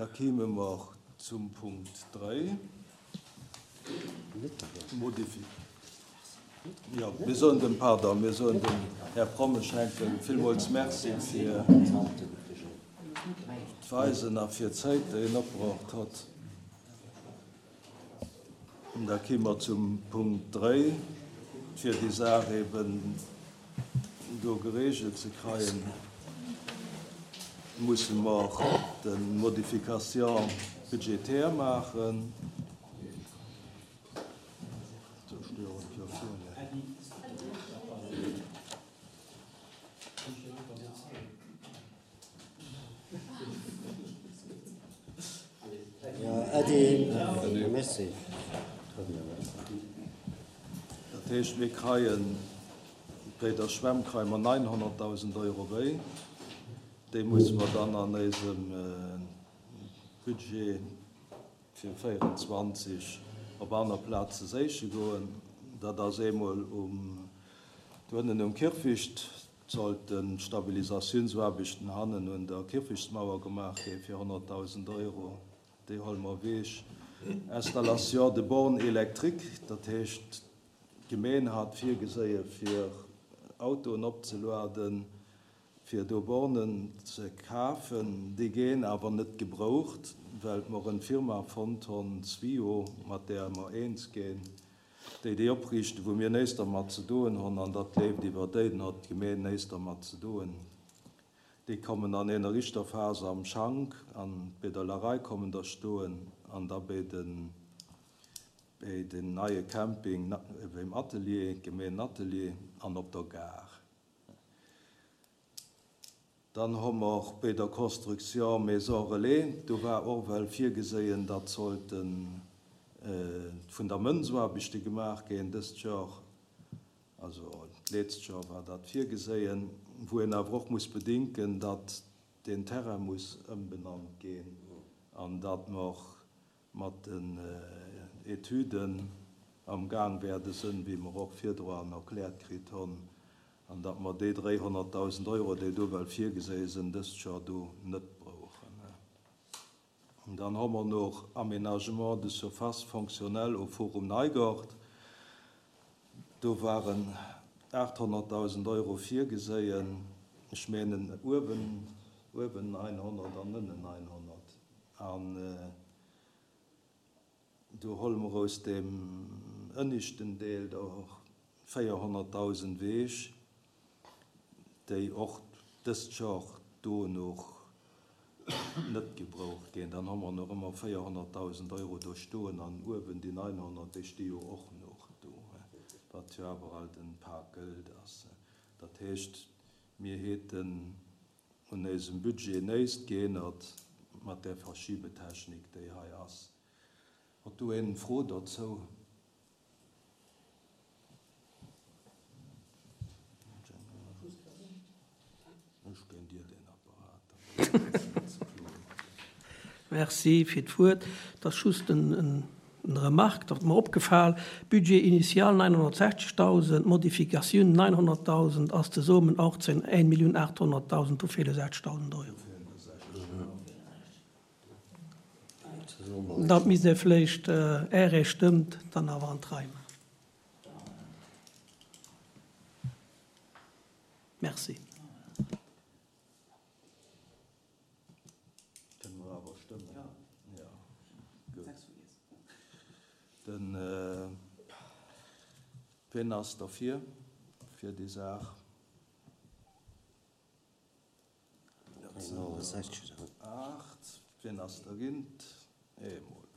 Da kéime mer zum Punkt 3, Modifi. Jo, mir soen dem, pardon, mir soen dem Här Prommesch Henkel villmools Merci fir d'Weisen a fir d'Zäit, déi en opbraucht hott. Da kéime mer zum Punkt 3, fir déi Saach eben do geregelt ze kreien, musse mer de Modification budgétaire maachen. Dat heescht, mir kreien, béi der Schwämm kreie mer 900.000 Euro wéi. Déi musse mer dann an éisem Budget fir 24 op aner Plaze séiche goen. Dat ass eemol um, doënnen um Kierfecht sollten d'Stabilisatiounsaarbechten hannen un der Kierfechtsmauer gemaach gi fir 100.000 Euro. Déi huele mer ewech. Installation de bornes électriques, dat heescht d'Gemeen hat virgeséie fir Autoen opzeluaden, fir do Bornen ze kafen. Déi ginn awer net gebroucht, well mer en Firma fonnt honn, Zwio, mat där mer eens ginn, déi déi opriichten, wou mir néist dermat ze doen honn, an dat leeft iwwer déi, dann hott d'Gemeen néist dermat ze doen. Déi kommen an eener ischter Phase am Schank an béi der Larei kommen der stoen an da béi den, béi den neie Camping, béim Atelier, Gemeenatelier an op der Gare. Dann hu mer béi der Construction Maison Relais, do war och well virgeséien, datt sollten d'Fundamentsaarbechte gemaach ginn dëst Joer, also d'leetzt Joer war dat virgeséien, wou een awer och muss bedinken, datt deen Terrain muss ëmbenannt ginn an datt mer mat den Etüden am Gaang wäerde sënn, wéi mer och virdroan erkläert kritt honn, an datt mer déi 300.000 Euro, déi do well virgeséie sënn, dëst Joer do net brauchen. An dann hu mer noch Aménagement de surfaces fonctionnelles au Forum Neigort. Do waren 800.000 Euro virgeséien, ech menen uewen, uewen 900 an ënnen 900. An do huele mer aus deem ënnischten Deel der 400.000 ewech, déi och dëst Jor do noch net gebraucht ginn. Dann hu mer nach ëmmer 400.000 Euro do stoen an uewen déi 900, déi sti jo och noch do, wat jo awer alt en Pak Gëld ass. Dat heescht, mir heten un éisem Budget néist geénnert mat där Verschiebetechnik, déi hei ass. Hott do een Fro dozou? Ech ginn dir deen Apparat, da brauchs de net ze kloen. Merci fir d'Wuert. Et ass just en Eng Remarque, dat ass mer opgefal, Budget initial 960.000, Modifikatioun 900.000, ass zesummen 18 1.800.000, do feele 60.000 Euro. Dat misst ee vléicht, Är ee stëmmt, dann awer an d'Rei maachen. Merci. Kënne mer awer stëmmen? Jo. Gutt. Den, wien ass derfir, fir déi Saach? Dat sinn der 8. Wien ass dergint? Eemol.